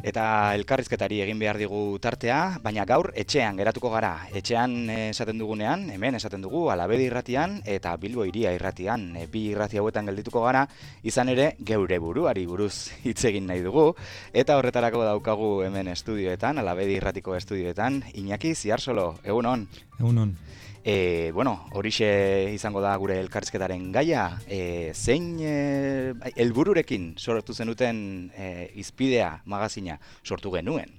eta elkarrizketari egin behar digu tartea, baina gaur etxean geratuko gara. Etxean esaten dugunean, hemen esaten dugu Alabedi irratian eta Bilbo Hiria irratian. Bi irrati hauetan geldituko gara, izan ere geure buruari buruz hitz egin nahi dugu, eta horretarako daukagu hemen estudioetan, Alabedi irratiko estudioetan, Iñaki Ziarsolo, egunon. Egunon. Horixe izango da gure elkarrizketaren gaia. Zein helbururekin sortu zenuten Izpidea magazina sortu genuen?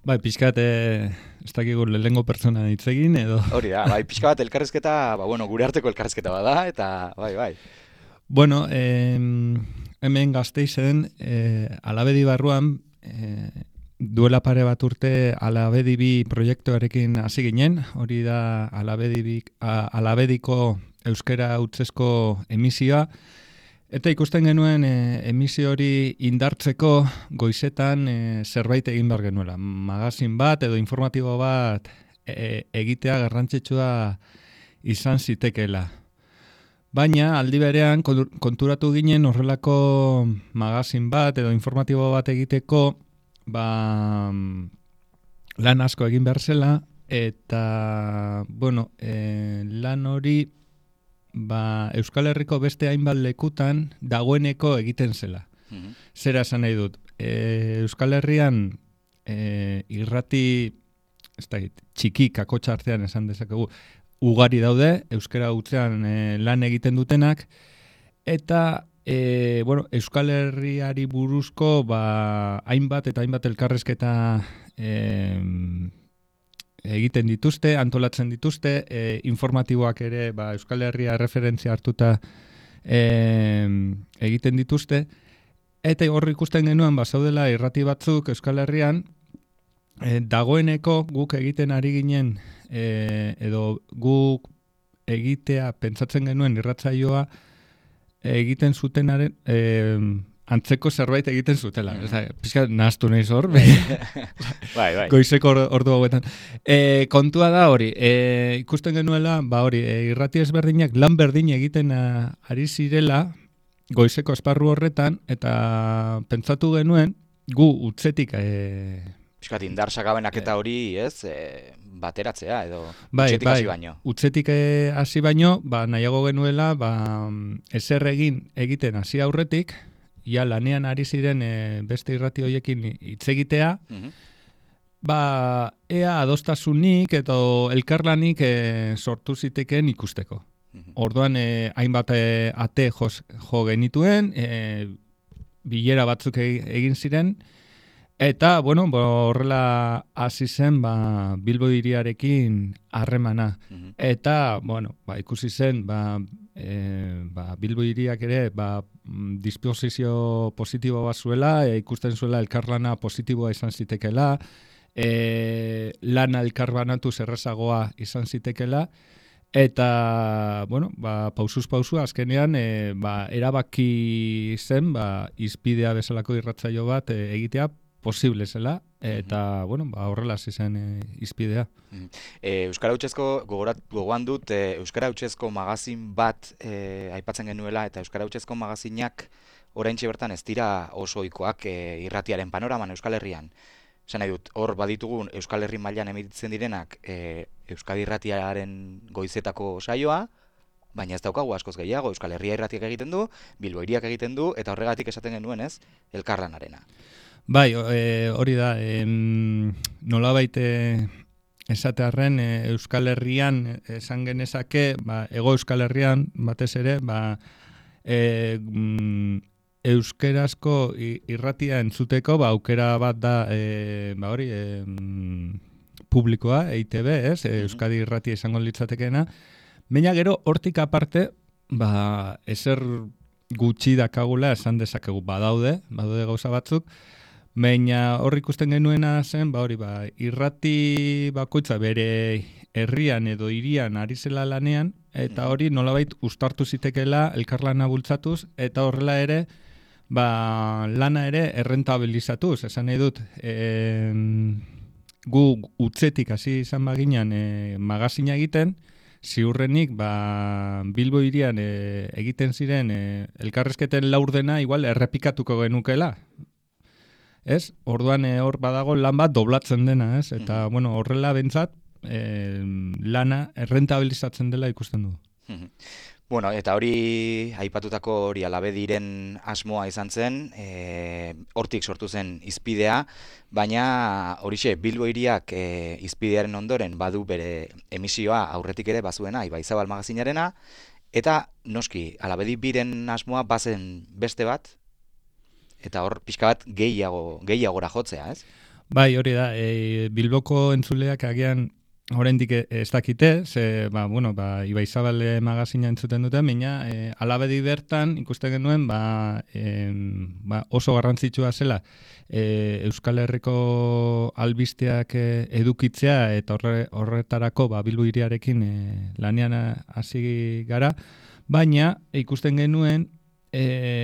Bai, pixkat, ez dakigu lehengo pertsona hitz egin, edo... Hori da, bai, pixka bat elkarrizketa, gure arteko elkarrizketa bada, eta bai. Bueno, hemen Gasteizen, Alabedi barruan, duela pare bat urte Alabedi bi proiektuarekin hasi ginen, hori da Alabediko euskara hutsezko emisioa, eta ikusten genuen emisio hori indartzeko goizetan zerbait egin behar genuela. Magazin bat edo informatibo bat egitea garrantzitsua izan zitekeela. Baina aldi berean konturatu ginen horrelako magazin bat edo informatibo bat egiteko lan asko egin behar zela, eta lan hori Euskal Herriko beste hainbat lekutan dagoeneko egiten zela. Zera esan nahi dut, Euskal Herrian irrati txiki kakotxa artean esan dezakegu ugari daude, euskara hutsean lan egiten dutenak, eta Euskal Herriari buruzko hainbat eta hainbat elkarrizketa egiten dituzte, antolatzen dituzte, informatiboak ere Euskal Herria referentzia hartuta egiten dituzte, eta horri ikusten genuen zaudela irrati batzuk Euskal Herrian, dagoeneko guk egiten ari ginen, edo guk egitea pentsatzen genuen irratsaioa egiten zutenaren antzeko zerbait egiten zutela. Pixka nahaztu nahiz hor. Bai. Goizeko ordu hauetan. Kontua da hori, ikusten genuela, irrati ezberdinak lan berdin egiten ari zirela goizeko esparru horretan, eta pentsatu genuen gu utzetik Piskat indar sakabenak eta hori, bateratzea edo utzetik hasi baino. Utzetik hasi baino, nahiago genuela, ezer egiten hasi aurretik, ja lanean ari ziren beste irrati hoiekin hitz egitea, ea adostasunik edo elkarlanik sortu ziteken ikusteko. Orduan hainbat ate jo genituen, bilera batzuk egin ziren, eta, horrela hasi zen Bilbo Hiriarekin harremana. Eta, ikusi zen, Bilbo Hiriak ere disposizio positibo bat zuela, ikusten zuela elkarlana positiboa izan zitekela, lana elkarbanatu zerrezagoa izan zitekela, eta, pausuz pausu, azkenean, erabaki zen, Izpidea bezalako irratsaio bat egitea posible zela, eta, horrela hasi zen Izpidea. Euskara hutsezko, gogoan dut, Euskara hutsezko magazin bat aipatzen genuela, eta Euskara hutsezko magazinak oraintxe bertan ez dira oso ohikoak irratiaren panoraman Euskal Herrian. Esan nahi dut, hor baditugu Euskal Herri mailan emititzen direnak Euskadi irratiaren goizetako saioa, baina ez daukagu askoz gehiago, Euskal Herria irratiak egiten du, Bilbo Hiriak egiten du, eta horregatik esaten genuen elkarlanarena. Bai, hori da, nolabait esatearren Euskal Herrian esan genezake, Hego Euskal Herrian batez ere, euskerazko irratia entzuteko, aukera bat da, publikoa, EITB, Euskadi irratia izango litzatekeena, baina gero hortik aparte, ezer gutxi dakagula esan dezakegu badaude gauza batzuk, baina hor ikusten genuena zen, irrati bakoitza bere herrian edo hirian ari zela lanean, eta hori nolabait uztartu zitekela elkarlana bultzatuz, eta horrela ere, lana ere errentabilizatuz, esan nahi dut, gu utzetik hasi izan baginan magazina egiten, ziurrenik Bilbo Hirian egiten ziren elkarrezketen laurdena igual errepikatuko genukela. ez? Orduan hor badago lan bat doblatzen dena, ez? Eta, bueno, horrela bentsat, lana errentabilizatzen dela ikusten du. Bueno, eta hori, aipatutako hori Alabediren asmoa izan zen, hortik sortu zen Hizpidea, baina horixe, Bilbo hiriak Hizpidearen ondoren badu bere emisioa aurretik ere bazuena, Ibaizabal magazinarena, eta noski, Alabedi biren asmoa bazen beste bat, eta hor pixka bat gehiagora jotzea, ez? Bai, hori da, Bilboko entzuleak agian oraindik ez dakite, ze, Ibaizabal magazina entzuten dute, baina Alabedi bertan ikusten genuen oso garrantzitsua zela Euskal Herriko albisteak edukitzea eta horretarako Bilbo hiriarekin lanean hasi gara, baina ikusten genuen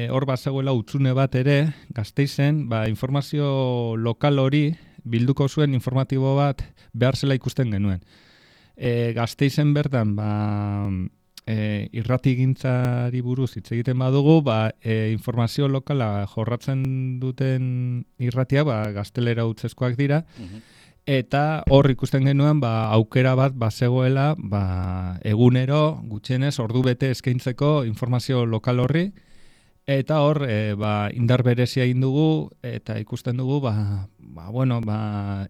hor bazegoela hutsune bat ere, Gasteizen, informazio lokal hori bilduko zuen informatibo bat behar zela ikusten genuen. Gasteizen bertan, irratigintzari buruz hitz egiten badugu, informazio lokala jorratzen duten irratia, gaztelera hutsezkoak dira, eta hor ikusten genuen, aukera bat bazegoela, egunero, gutxienez, ordu bete eskaintzeko informazio lokal horri, eta hor, indar berezia egin dugu, eta ikusten dugu,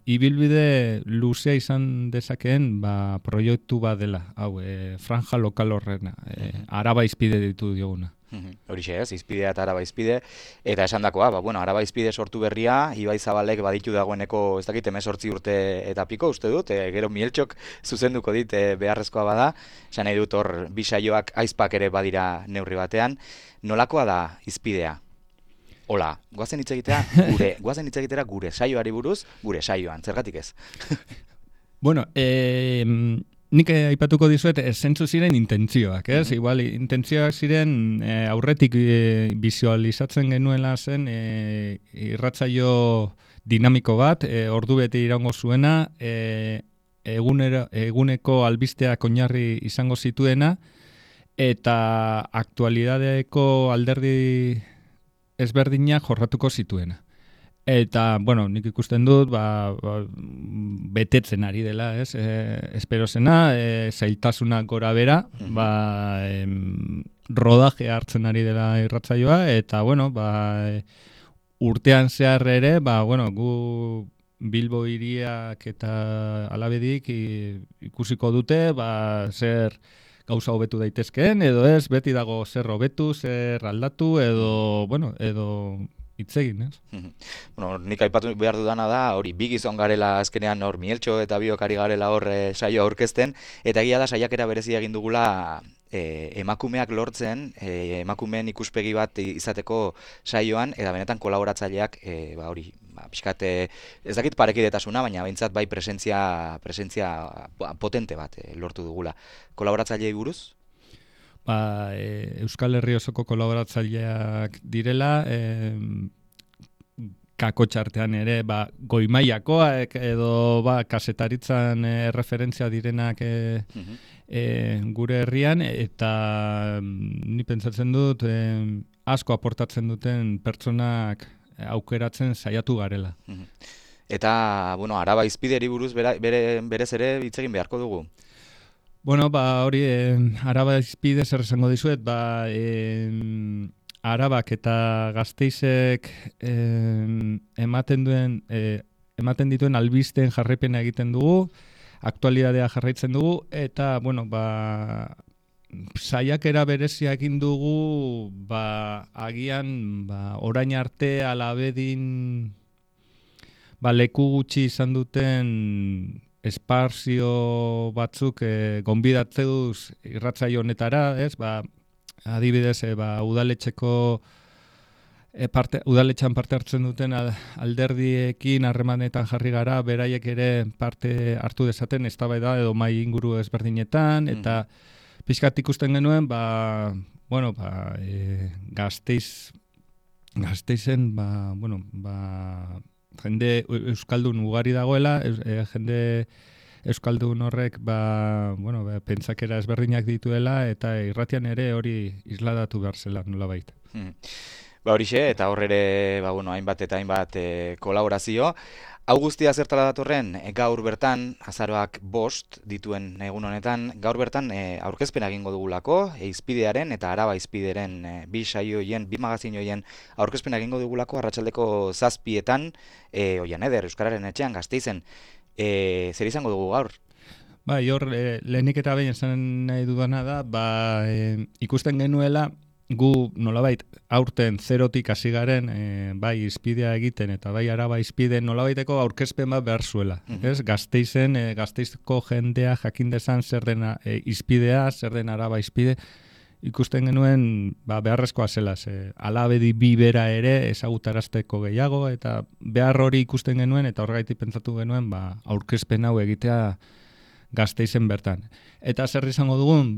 ibilbide luzea izan dezakeen, proiektu bat dela, hau, franja lokal horrena, Araba Hizpide ditu dioguna. Horixe ez, Hizpidea eta Araba Hizpide, eta esandakoa, Araba Hizpide sortu berria, Ibaizabalek baditu dagoeneko, ez dakit, 18 urte eta piko, uste dut, gero Mieltxok zuzenduko dit beharrezkoa bada, esan nahi dut hor, bi saioak aizpak ere badira neurri batean, nolakoa da Hizpidea? Hola, goazen hitz egitera gure saioari buruz, gure saioan, zergatik ez? Bueno, nik aipatuko dizuet, zentzu ziren intentzioak, ez? Igual, intentzioak ziren aurretik bizualizatzen genuela zen irratsaio dinamiko bat, ordu bete iraungo zuena, eguneko albisteak oinarri izango zituena, eta aktualidadeko alderdi ezberdinak jorratuko zituena. Eta, nik ikusten dut, betetzen ari dela, ez? Espero zena, zailtasunak gora bera, rodaje hartzen ari dela irratsaioa, eta, urtean zehar ere, gu Bilbo hiriak eta Alabedik ikusiko dute, zer gauza hobetu daitezkeen, edo ez, beti dago zer hobetu, zer aldatu, edo hitz egin, ez? Nik aipatu behar dudana da, hori bi gizon garela azkenean hor Mieltxo eta biok ari garela hor saioa aurkezten, eta egia da saiakera berezia egin dugula emakumeak lortzen, emakumeen ikuspegi bat izateko saioan, eta benetan kolaboratzaileak, pixkat, ez dakit parekidetasuna, baina behintzat bai presentzia potente bat lortu dugula. Kolaboratzailei buruz? Euskal Herri osoko kolaboratzaileak direla, kakotxartean ere, goimaiakoak edo kasetaritzan referentzia direnak gure herrian, eta ni pentsatzen dut asko aportatzen duten pertsonak aukeratzen saiatu garela. Eta, Araba Hizpideri buruz berez ere hitz egin beharko dugu. Hori, Araba Hizpide zer esango dizuet, Arabak eta Gasteizek ematen dituen albisteen jarraipena egiten dugu, aktualidadea jarraitzen dugu, eta, saiakera berezia egin dugu, agian, orain arte Alabedin leku gutxi izan duten esparzio batzuk gonbidatzeuz irratsaio honetara, ez? Adibidez, udaletxean parte hartzen duten alderdiekin harremanetan jarri gara, beraiek ere parte hartu dezaten eztabaida edo mai inguru ezberdinetan, eta pixkat ikusten genuen, Gasteizen, jende euskaldun ugari dagoela, jende euskaldun horrek pentsakera ezberdinak dituela, eta irratian ere hori isladatu behar zela nolabait. Ba horixe, eta hor ere, ba, bueno, hainbat eta hainbat kolaborazio. Hau guztia zertara datorren, gaur bertan, azaroak 5 dituen egun honetan, gaur bertan aurkezpena egingo dugulako, Izpidearen eta Araba Izpideren bi saioien, bi magazin hoien aurkezpena egingo dugulako arratsaldeko 7etan, Oian Eder, Euskararen etxean, Gasteizen. Zer izango dugu gaur? Bai, hor, lehenik eta behin esan nahi dudana da, ikusten genuela, gu nolabait aurten zerotik hasi garen, bai Izpidea egiten eta bai Araba Izpide nolabaiteko aurkezpen bat behar zuela. Ez? Gasteizen, Gasteizko jendea jakin dezan zer den Izpidea, zer den Araba Izpide, ikusten genuen beharrezkoa zela, alabedi bi bera ere ezagutarazteko gehiago, eta behar hori ikusten genuen, eta horregaitik pentsatu genuen aurkezpen hau egitea Gasteizen bertan. Eta zer izango dugun,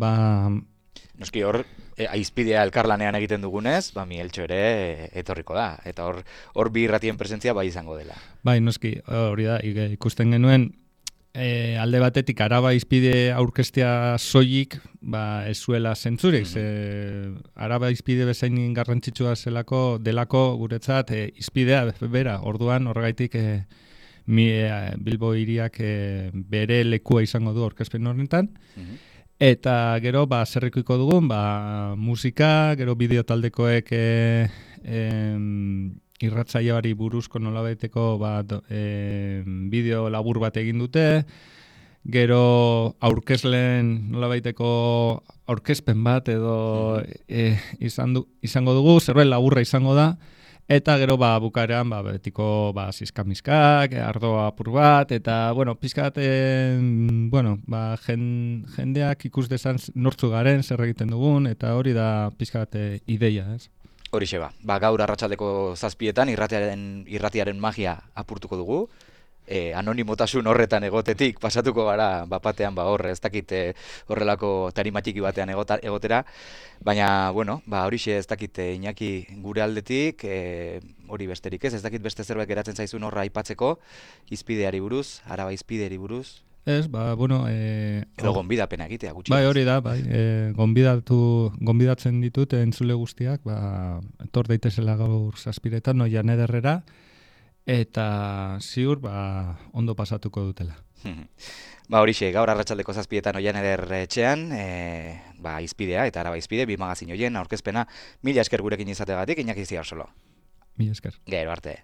Noski hor, Izpidea elkarlanean egiten dugunez, Migueltxo ere etorriko da, eta hor bi irratien presentzia bai izango dela. Bai, noski, hori da, ikusten genuen, alde batetik Araba Izpide aurkeztea soilik, ez zuela zentzurik, Araba Izpide bezain garrantzitsua delako guretzat, Izpidea bera, orduan horregaitik Bilbo hiriak bere lekua izango du aurkezpen horretan, eta gero, zerrikuiko dugun, musika, gero bideo taldekoek irratsaioari buruzko nolabaiteko bideo labur bat egin dute, gero aurkezleen nolabaiteko aurkezpen bat edo izango dugu, zerbait laburra izango da, eta gero bukaeran betiko zizkamiskak, ardoa apur bat, eta pizkat jendeak ikus dezan nortzu garen, zer egiten dugun, eta hori da pizkat ideia, ez? Horixe gaur arratsaldeko 7etan irratiaren magia apurtuko dugu, anonimotasun horretan egotetik pasatuko gara bapatean hor, ez dakit horrelako tarimatiki batean egotera, baina, horixe ez dakit Iñaki gure aldetik, hori besterik ez dakit beste zerbait geratzen zaizun horra aipatzeko, Izpideari buruz, Araba Izpideari buruz. Ez, edo gonbidapena egitea gutxi. Bai, hori da, gonbidatzen ditut entzule guztiak, etor daitezela gaur 7etan, Oian Ederrera, eta ziur ondo pasatuko dutela. Horixe, gaur arratsaldeko 7etan Oian Eder etxean, Izpidea eta Araba Izpide, bi magazin hoien aurkezpena, mila esker gurekin izategatik, Iñaki Zigarsolo. Mila esker. Gero arte.